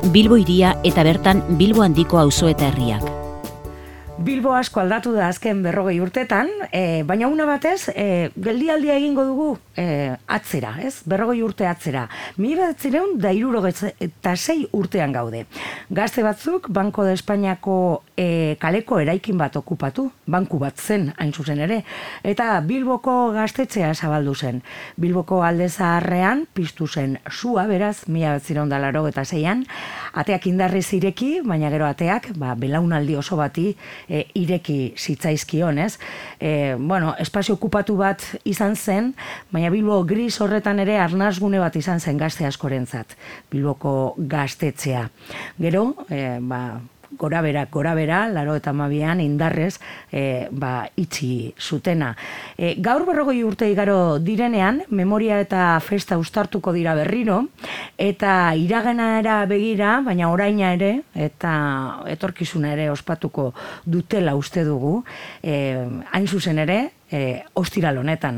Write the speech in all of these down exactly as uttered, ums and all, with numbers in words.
Bilbo hiria eta bertan Bilbo handiko auzo eta herriak. Bilbo asko aldatu da azken berrogei urtetan, e, baina una batez, e, geldialdia egingo dugu e, atzera, ez? Berrogei urte atzera. Mila bederatziehun eta hirurogeita sei urtean gaude. Gazte batzuk, Banco de Espainiako e, kaleko eraikin bat okupatu, banku bat zen, hain zuzen ere, eta Bilboko gaztetxea zabaldu zen. Bilboko alde zaharrean piztu zen sua, beraz, mila bederatziehun eta laurogeita seian, ateak indarrez ireki, baina gero ateak, ba, belaunaldi oso bati E, ireki zitzaizkion, ez? E, bueno, espazio okupatu bat izan zen, baina Bilbo gris horretan ere arnasgune bat izan zen gazte askorentzat, Bilboko gaztetxea. Gero, e, ba, gora bera, gora bera, laro eta hamabian indarrez e, ba, itxi zutena. E, gaur berrogei urte igaro direnean, memoria eta festa uztartuko dira berriro, eta iraganera begira, baina oraina ere, eta etorkizuna ere ospatuko dutela uste dugu, e, hain zuzen ere, E, ostiral honetan.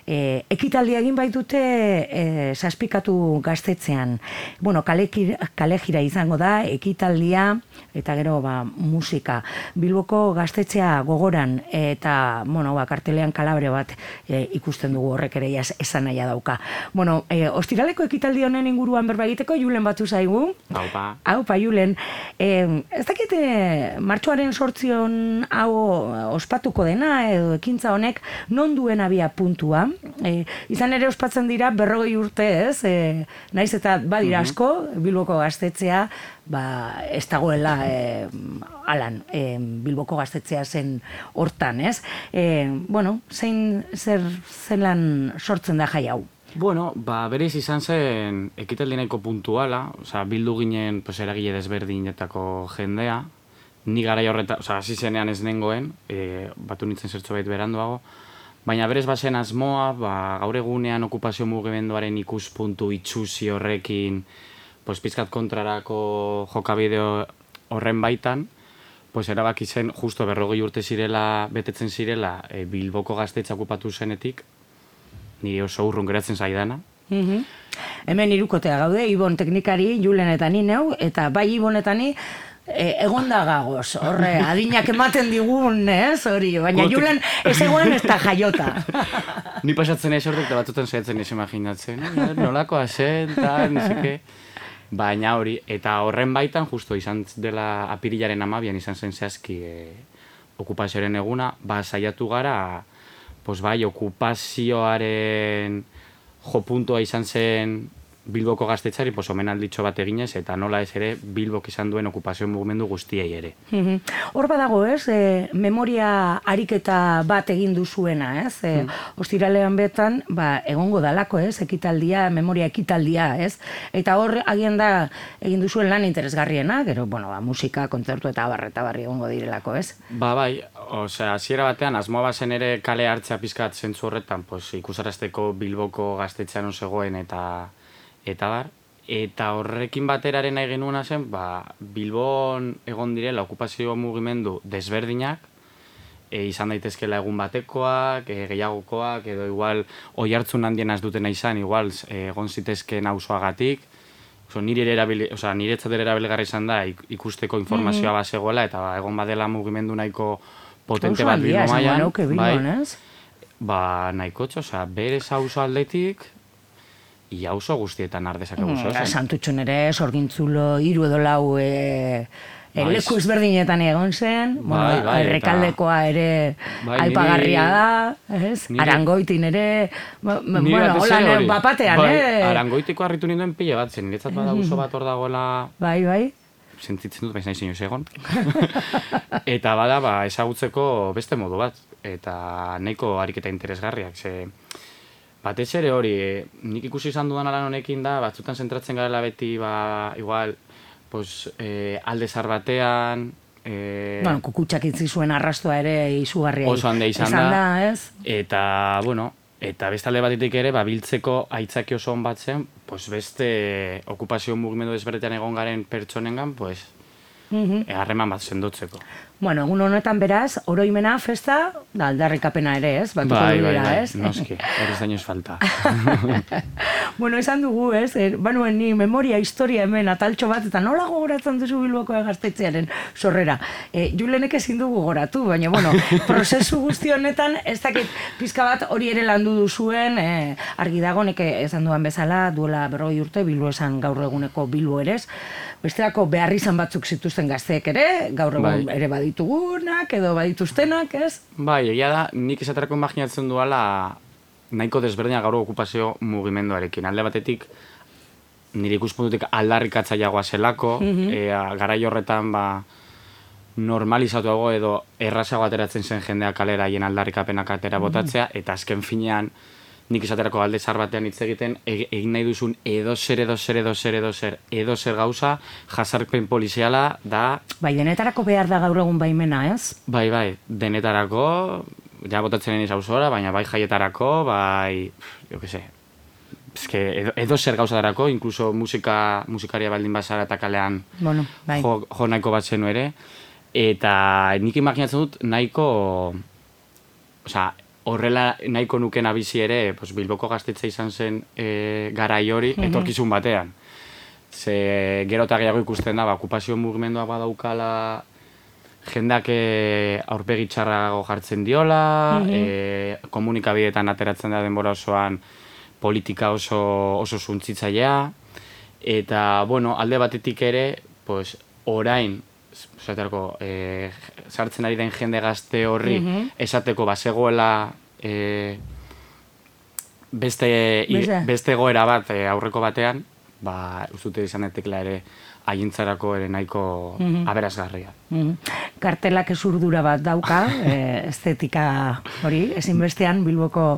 E, ekitaldia egin baitute e, zazpikatu gaztetzean. Bueno, kale, kale jira izango da, ekitaldia eta gero ba, musika. Bilboko gaztetxea gogoran eta bueno, ba, kartelean kalabre bat e, ikusten dugu horrek ere esan nahia dauka. Bueno, e, ostiraleko ekitaldi honen inguruan berba egiteko, Julen batu zaigu. Haupa. Haupa, Julen. E, ez dakite martxoaren sortzion hau ospatuko dena edo ekintza honek non duen abia puntua. E, izan ere ospatzen dira berrogei urte, ez? E, naiz eta badira asko, Bilboko gaztetzea, ba, ez dagoela e, alan, e, Bilboko gaztetzea zen hortan, ez? E, bueno, zein zer zelan sortzen da jai hau? Bueno, ba, berez izan zen ekitaldi nahiko puntuala, oza, bildu ginen pues, eragile desberdinetako jendea, ni garai horretan, oza, hasi zenean ez nengoen, e, batu nintzen zertxo bait beranduago, baina berez bazen asmoa, ba, gaur egunean okupazio mugimenduaren ikuspuntu itxusi horrekin, pues, pizkat kontrarako jokabide horren baitan, pues, erabaki zen, justo berrogei urte zirela, betetzen zirela, e, Bilboko gaztetxa okupatu zenetik, nire oso urrun geratzen zaidana. Mm-hmm. Hemen irukotea gaude, Ibon teknikari, Julen eta ni neu, eta bai Ibon eta ni, E, egon da gagoz, horre, adinak ematen digun, ez, hori, baina Julen ez egoen ez da jaiota. Ni pasatzen ez horrek, da batzutan saiatzen ez imaginatzen, nolakoa zen, tal, neseke. Baina hori, eta horren baitan, justo izan dela apirilaren amabian izan zen zehazki e, okupazioaren eguna, ba, saiatu gara, pues bai, okupazioaren jopuntua izan zen Bilboko gaztetxari, pues, omenalditxo bat eginez, eta nola ez ere Bilbok izan duen okupazio mugimendu guztiei ere. Hor badago, ez, e, memoria ariketa bat egin duzuena, ez? E, mm. Ostiralean betan, ba, egongo dalako, ez, ekitaldia, memoria ekitaldia, ez? Eta hor, agian da, egin duzuen lan interesgarriena, gero, bueno, ba, musika, kontzertu eta barreta barri egongo direlako, ez? Ba, bai, osea, hasiera batean, asmoa bazen ere kale hartzea pizkat zentzu horretan, pues, ikusarazteko Bilboko gaztetxean zegoen eta eta bar, eta horrekin bateraren nahi genuena zen, ba, Bilbon egon direla okupazio mugimendu desberdinak, e, izan daitezkela egun batekoak, e, gehiagokoak, edo igual oihartzun handiena ez dutena izan, igual e, egon zitezkeen auzoagatik, oso, nire ere erabili, oza, niretzat ere erabilgarri izan da ikusteko informazioa mm-hmm. bazegoela, eta ba, egon badela mugimendu nahiko potente bat Bilbo mailan, bai, ba, nahiko txo, oza, berez auzo aldetik, ia auzo guztietan ardezakegu mm, zozen. Santutxun ere, Sorgintzulo, hiru edo lau e, e, leku ezberdinetan egon zen, bai, bueno, bai, errekaldekoa ere bai, aipagarria niri, da, ez? Niri, Arangoitin ere, bueno, hola, bapatean, bai, eh? Arangoitiko harritu ninduen pile bat zen, niretzat bada auzo bat hor dagoela... Bai, bai. Sentitzen dut, baina izan egon. Eta bada, ba, ezagutzeko beste modu bat, eta nahiko ariketa interesgarriak, ze... Batez ere hori, eh, nik ikusi izan dudan alan honekin da, batzutan zentratzen garela beti, ba, igual, pues, eh, alde zar batean... Eh, bueno, kukutxak itzi zuen arrastoa ere izugarria. Oso hande izan, izan da, da, ez? Eta, bueno, eta beste alde batetik ere, ba, biltzeko aitzaki oso hon bat zen, pues, beste okupazio mugimendu desberdetan egon garen pertsonengan, pues, harreman bat sendotzeko. Bueno, egun honetan beraz, oroimena, festa, da aldarrikapena ere, ez? Batuko bai, bai, dira, bai, ez? noski, hori zainoz falta. Bueno, esan dugu, ez? Er, banuen ni memoria, historia hemen, ataltxo bat, eta nola gogoratzen duzu Bilboko Gaztetxearen sorrera. E, Julenek ezin dugu gogoratu, baina, bueno, prozesu guzti honetan, ez dakit pizka bat hori ere landu duzuen, e, argi dago, neke esan duan bezala, duela berrogei urte, Bilbo esan gaur eguneko Bilbo ere, bestelako behar izan batzuk zituzten gazteek ere, gaur egun bai. Ere baditugunak, edo badituztenak, ez? Bai, egia da, nik esaterako imaginatzen duala nahiko desberdina gaur okupazio mugimenduarekin. Alde batetik, nire ikuspuntutik aldarrikatzaileagoa zelako, mm-hmm. e, garai horretan ba, normalizatuago edo errazago ateratzen zen jendea kalera hien aldarrikapenak atera botatzea, mm-hmm. eta azken finean, nik esaterako alde zar batean hitz egiten, egin nahi duzun edo zer, edo zer, edo zer, edo zer, edo zer gauza, jazarpen poliziala da... Bai, denetarako behar da gaur egun baimena, ez? Bai, bai, denetarako, ja botatzen eniz auzora, baina bai jaietarako, bai, jo que se, eske, edo, edo zer gauza darako, inkluso musika, musikaria baldin bazara eta kalean bueno, bai. jo, jo nahiko bat zenu ere, eta nik imaginatzen dut nahiko, osea, horrela nahiko nuken abizi ere, pues, Bilboko Gaztetxe izan zen e, garai hori, mm-hmm. etorkizun batean. Ze gero eta gehiago ikusten da, ba, okupazio mugimendua badaukala, jendeak e, aurpegi txarrago jartzen diola, mm-hmm. e, komunikabideetan ateratzen da denbora osoan politika oso, oso suntzitzailea, eta, bueno, alde batetik ere, pues, orain, Zaterako, e, sartzen ari den jende gazte horri mm-hmm. esateko bazegoela e, beste, i, beste goera bat e, aurreko batean, ba, ustute izan etekla ere haientzarako ere nahiko mm-hmm. aberasgarria. Mm-hmm. Kartelak ezurdura bat dauka, e, estetika hori, ezinbestean Bilboko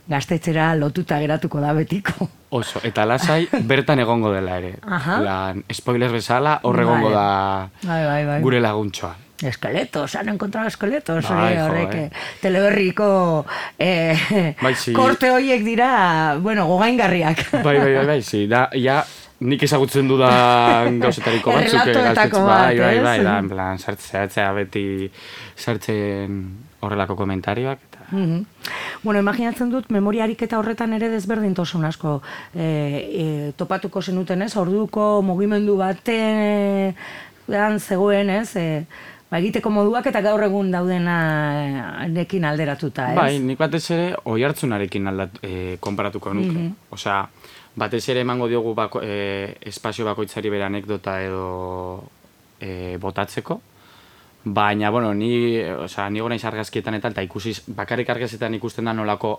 Gaztetxera lotuta geratuko da betiko. Oso, eta lasai bertan egongo dela ere. Lan, spoilers bezala, hor egongo da bai, bai, bai. Gure laguntxoa. Esqueletos, han encontrado esqueletos. Bai, horrek, jo, eh. Teleberriko eh, bai, si. Korte horiek dira, bueno, gogaingarriak. Bai, bai, bai, bai, si. Da, ja, nik ezagutzen dudan gauzetariko batzuk. Errelatoetako bat, bai, bai, bai, da, en plan, sartzea beti sartzen horrelako komentarioak. Mm-hmm. Bueno, imaginatzen dut, memoria ariketa horretan ere desberdintasun asko e, e, topatuko zenuten, ez? Orduko mugimendu batean zegoen, ez? E, ba, egiteko moduak eta gaur egun daudenarekin alderatuta, ez? Bai, nik batez ere oihartzunarekin aldat, e, konparatuko nuke. Mm-hmm. Osea, batez ere emango diogu bako, e, espazio bakoitzari bere anekdota edo e, botatzeko. Baina, bueno, ni, osea, ni gona argazkietan eta, eta ikusiz, bakarrik argazkietan ikusten da nolako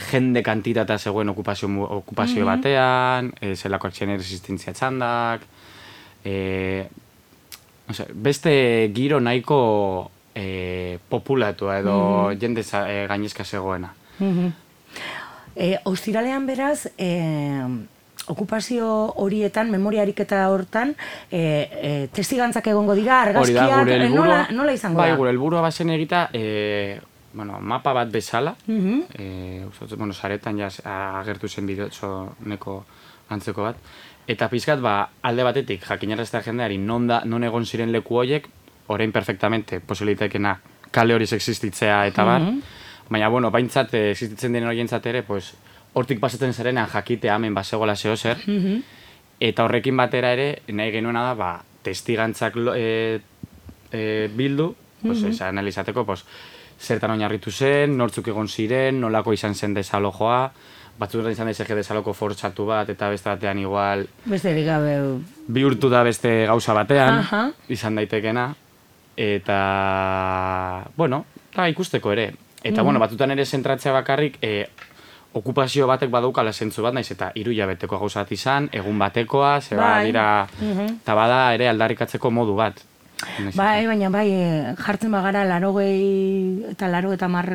jende kantitatea zegoen okupazio, okupazio mm-hmm. batean, e, zelako akzioen resistentzia txandak, e, osea, beste giro nahiko e, populatua edo mm-hmm. jende e, gainezka zegoena. Mm-hmm. e, Ostiralean beraz, e, okupazio horietan, memoria ariketa hortan, e, e, testigantzak egongo dira, argazkiak, e, nola, nola izango bai, da? Bai, gure helburua bazen egita, e, bueno, mapa bat bezala, mm-hmm. e, uste, bueno, saretan ja agertu zen bidotxo neko antzeko bat, eta pizkat, ba, alde batetik, jakinaraztea jendeari, non, da, non egon ziren leku horiek, orain perfectamente, posibilitekena, kale horiz existitzea eta bar, mm-hmm. baina, bueno, baintzat, existitzen den horientzat ere, pues, hortik pasatzen zarenean jakitea hemen basegola zeo zer, mm-hmm. eta horrekin batera ere, nahi genuena da, ba, testigantzak e, e, bildu, pues, mm-hmm. analizateko, pues, zertan oinarritu zen, nortzuk egon ziren, nolako izan zen desalojoa, batzuetan izan dezake desaloko fortxatu bat, eta beste batean igual... Beste gabe... Bihurtu da beste gauza batean, uh-huh. izan daitekena, eta, bueno, da ikusteko ere. Eta, mm-hmm. bueno, batzutan ere zentratzea bakarrik, e, okupazio batek badaukala zentzu bat, naiz eta hiru hilabeteko gauza bat izan, egun batekoa, ze bai. Dira, mm-hmm. eta bada ere aldarrikatzeko modu bat. Bai, baina bai, jartzen bagara larogei eta laro eta mar,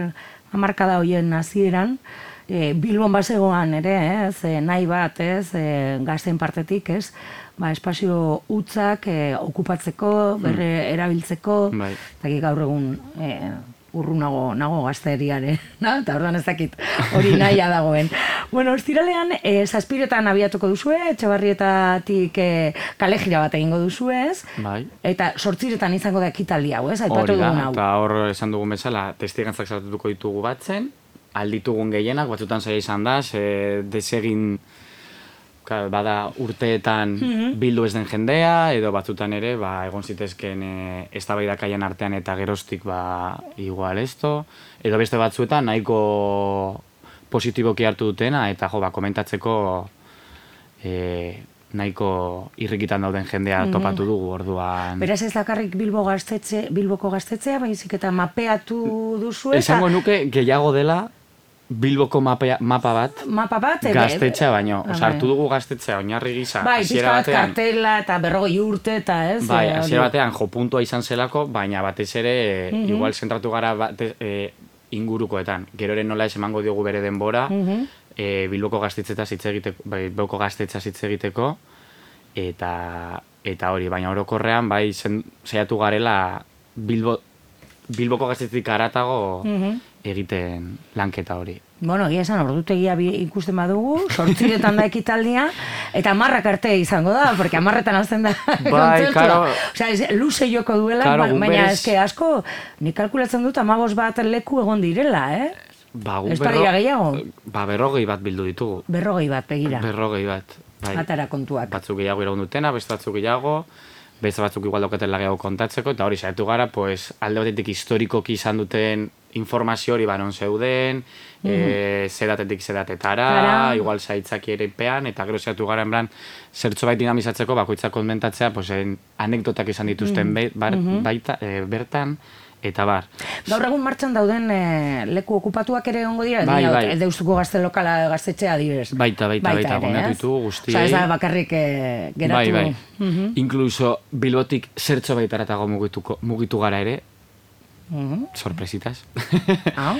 amarkada hoien hasieran, e, Bilbon bazegoan ere, ez, e, nahi bat, ez, e, gazten partetik, ez, ba, espazio hutzak e, okupatzeko, berre erabiltzeko, bai. eta gaur egun... E, urrunago nago gazteriaren, na? Eta orduan ez dakit hori nahia dagoen. Bueno, ostiralean, e, zazpiretan abiatuko duzue, Etxebarrietatik e, kale jira bat egingo duzue, ez? Bai. Eta sortziretan izango da ekitaldi hau, ez? Aipatu Hori da, dugun hau. eta hor esan dugun bezala, testigantzak sartuko ditugu batzen, alditugun gehienak, batzutan zaila izan da, ze desegin bada urteetan mm-hmm. bildu ez den jendea, edo batzutan ere, ba, egon zitezken e, eztabaidakaien artean eta geroztik, ba, igual esto, edo beste batzuetan nahiko positiboki hartu dutena, eta jo, ba, komentatzeko e, nahiko irrikitan dauden jendea mm-hmm. topatu dugu, orduan. Beraz ez dakarrik Bilbo gaztetxe, Bilboko gaztetzea, baizik eta mapeatu duzu eta... Esango nuke gehiago dela, Bilboko mapa, mapa bat, mapa bat gaztetxea baino. Osa, hartu dugu gaztetxea, oinarri gisa. Bai, pizka bat kartela eta berrogei urte eta ez. Bai, hasiera batean jo puntua izan zelako, baina batez ere, mm-hmm. igual zentratu gara bate, e, ingurukoetan. Gero ere nola ez emango diogu bere denbora, mm-hmm. e, Bilboko gaztetxeta hitz egiteko, bai, Bilboko gaztetxa hitz egiteko, eta, eta hori, baina orokorrean, bai, saiatu garela Bilbo, Bilboko gaztetxetik haratago, mm-hmm. egiten lanketa hori. Bueno, egia esan, ordutegia ikusten badugu, sortziretan da ekitaldia, eta amarrak arte izango da, porque amarretan azten da bai, karo... Osea, luze joko duela, karo, ba, baina berez... eske asko, nik kalkulatzen dut amabos bat leku egon direla, eh? Ba, ez berro... gehiago? Ba, berrogei bat bildu ditugu. Berrogei bat, begira. Berrogei bat, bai. Atara kontuak. Batzuk gehiago iraun dutena, beste batzuk gehiago, beste batzuk igual daukatela gehiago kontatzeko, eta hori saiatu gara, pues, alde batetik historikoki izan duten informazio hori banon zeuden, mm-hmm. e, zedatetik zedatetara, Tara. igual zaitzaki ere pean, eta gero zehatu gara enblan, zertxo bait dinamizatzeko, bakoitzak konmentatzea, pues, anekdotak izan dituzten mm-hmm. bar, baita, e, bertan, eta bar. Gaur egun martxan dauden e, leku okupatuak ere ongo dira, bai, bai. Deustuko gazte lokala gaztetxea direz. Baita, baita, baita, goneatu ditu guztiei. Osa, ez da bakarrik e, geratu. Bai, bai. Mm-hmm. Inkluso Bilbotik zertxo baitaratago mugituko, mugitu gara ere, Mm-hmm. sorpresitas. Ah.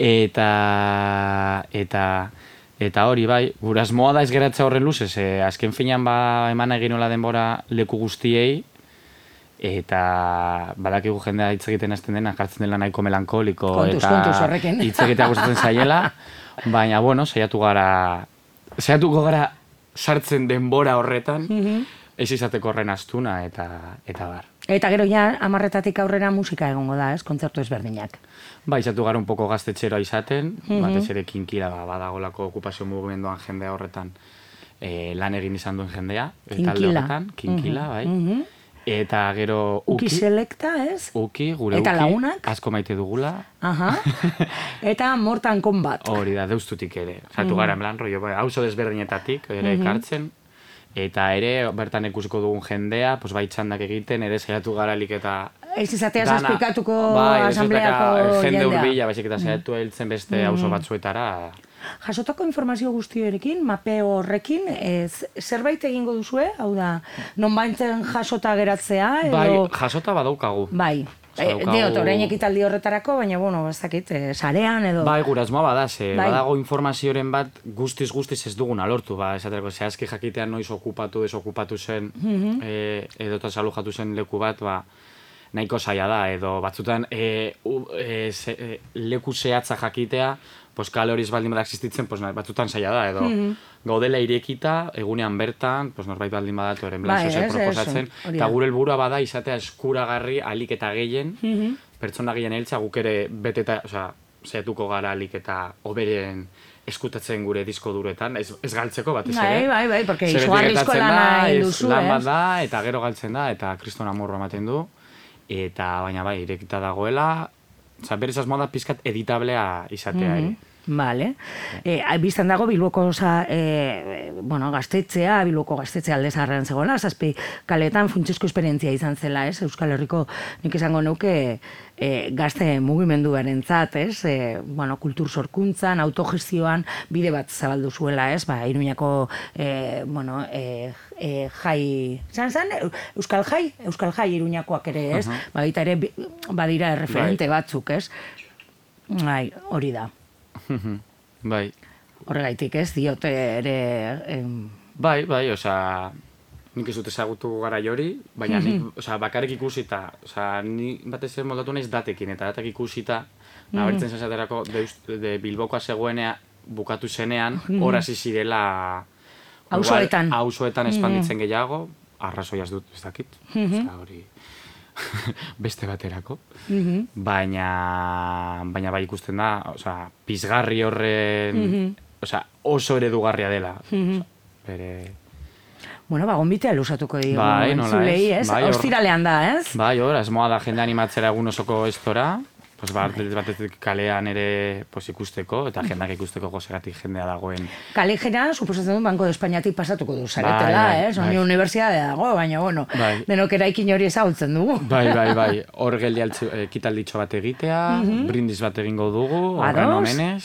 eta eta eta hori bai, gure asmoa da ez geratza horren luzez, eh, azken finean ba eman egin nola denbora leku guztiei, eta badakigu jendea hitz egiten hasten dena, jartzen dela nahiko melankoliko, kontuz, eta kontuz, hitz egitea gustatzen zaiela, baina bueno, saiatu gara saiatuko gara sartzen denbora horretan, mm-hmm. ez izateko horren astuna eta eta bar. Eta gero ja, amarretatik aurrera musika egongo da, ez? Kontzertu ezberdinak. Ba, izatu gara un poko gaztetxeroa izaten, mm-hmm. batez ere kinkila, ba, badagolako okupazio mugimenduan jendea horretan e, lan egin izan duen jendea. Kinkila. Horretan, kinkila, mm-hmm. bai. Mm-hmm. Eta gero uki. Uki selekta, ez? Uki, gure eta uki. Eta lagunak? Asko maite dugula. Aha. Eta Mortal Kombat. Hori da, deustutik ere. Zatu mm-hmm. gara, en plan, rollo, bai, hauzo desberdinetatik, ere mm-hmm. ekartzen. Eta ere, bertan ikusiko dugun jendea, pues, bai txandak egiten, ere saiatu garalik eta... Ez izatea zazpikatuko bai, asambleako jendea. Jende urbila, baizik eta saiatu heltzen beste auzo mm. batzuetara. Jasotako informazio guztioerekin, mapeo horrekin, ez, zerbait egingo duzue? Hau da, non baintzen jasota geratzea? Edo... Bai, jasota badaukagu. Bai. E, Deot, orain ekitaldi horretarako, baina, bueno, ez dakit, e, sarean edo... Bai, gura asmoa badaz, e, bai. Badago informazioren bat guztiz-guztiz ez duguna lortu, ba, esaterako, zehazki jakitean noiz okupatu, desokupatu zen, mm-hmm. e, edo eta salujatu zen leku bat, ba, nahiko zaila da, edo batzutan e, u, e, ze, e, leku zehatza jakitea, pues, kale hori ez baldin bada existitzen, pues, batzutan zaila da, edo mm-hmm. gaudela irekita, egunean bertan, pues, norbait baldin badatu eren blan bai, proposatzen, eta gure helburua bada izatea eskuragarri alik eta gehien, mm-hmm. pertsona gehien heltza guk ere beteta, osea, zehatuko gara alik eta oberen eskutatzen gure disko duretan, ez, ez galtzeko batez ere. Bai, bai, bai, porque izugarrizko lana egin duzu, lan bat da, eta gero galtzen da, eta kriston amorro ematen du, eta baina bai, irekita dagoela, oza, berez asmoa da pizkat editablea izatea mm-hmm. ere. Vale. Eh, biztan dago Bilboko oza, eh, bueno, gaztetzea, Bilboko gaztetzea alde zaharrean zegoela, zazpi kaletan funtsezko esperientzia izan zela, ez? Euskal Herriko nik esango neuke eh, gazte mugimenduaren zat, ez? Eh, bueno, kultur sorkuntzan, autogestioan, bide bat zabaldu zuela, ez? Ba, Iruñako, eh, bueno, eh, eh, jai, zan zan, Euskal Jai, Euskal Jai Iruñakoak ere, ez? Uh-huh. Ba, baita ere, badira referente right. batzuk, ez? Bai, hori da. Bai. Horregaitik ez, diote ere... Em... Bai, bai, osea, nik ez dut ezagutu gara jori, baina nik, osea, bakarrik ikusita, osea, ni batez ere moldatu naiz datekin, eta datek ikusita, nabaritzen zazaterako de, de Bilbokoa zegoenea bukatu zenean, hor hasi zirela auzoetan auzoetan espanditzen gehiago, arrazoiaz dut, ez dakit, osea, hori beste baterako, baina baina bai ikusten da, osea, pizgarri horren, osea, oso eredugarria dela, bere... Bueno, ba, gonbitea lusatuko digu, bai, entzulei, ez? Bai, ostiralean da, ez? Bai, hor, asmoa da jende animatzera egun osoko estora, pues, bat, batetik kalean ere pues, ikusteko, eta jendak ikusteko gozegatik jendea dagoen. Kale jena, suposatzen du, Banko de Espainiatik pasatuko du zaretela, bai, ez? Honi bai. Unibertsiadea dago, baina, bueno, bai. denok eraikin hori ezagutzen dugu. Bai, bai, bai. Hor geldi ekitalditxo bat egitea, brindis bat egingo dugu, horren omenez,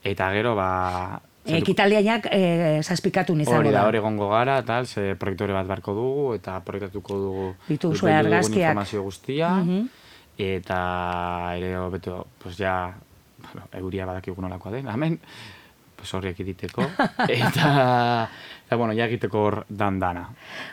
eta gero, ba... Ekitaldiainak e, zazpikatu izango da. Hori da, hori egongo gara, tal, ze proiektore bat barko dugu, eta proiektatuko dugu dituzue argazkiak informazio guztia, eta ere, beto, pues ja, bueno, euria badakigu nolakoa den, hemen, pues horriek egiteko, eta, eta, bueno, ja egiteko hor dan-dana.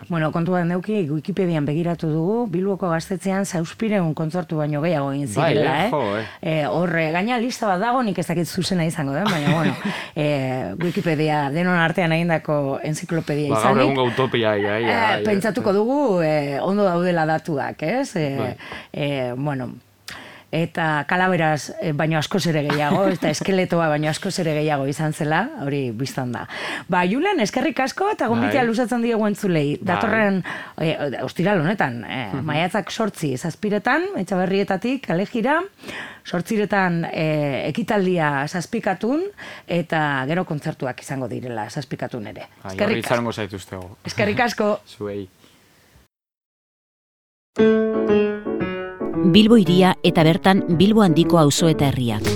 Bueno, kontuan neuki, Wikipedian begiratu dugu, Bilboko gaztetzean zauspireun kontzertu baino gehiago egin zirela, bai, eh? Jo, eh? eh? Horre, gaina lista bat dago, nik ez dakit zuzena izango den, baina, bueno, eh, Wikipedia denon artean egindako enziklopedia ba, izanik. Gaur egun utopia, ia, ia, ia, eh, pentsatuko dugu, eh, ondo daudela datuak, ez? Eh, bai. eh, bueno, eta kalaberaz baino askoz ere gehiago, eta eskeletoa baino askoz ere gehiago izan zela, hori biztan da. Ba, Julen, eskerrik asko eta gonbitea bai. luzatzen diegu entzulei. Datorren, bai. e, ostiral honetan, e, maiatzak sortzi, zazpiretan, Etxaberrietatik, Kalejira, sortziretan e, ekitaldia zazpikatun, eta gero kontzertuak izango direla zazpikatun ere. Eskerrik asko. Zaituztego. Eskerrik asko. Zuei. Bilbo hiria eta bertan Bilbo handiko auzo eta herriak.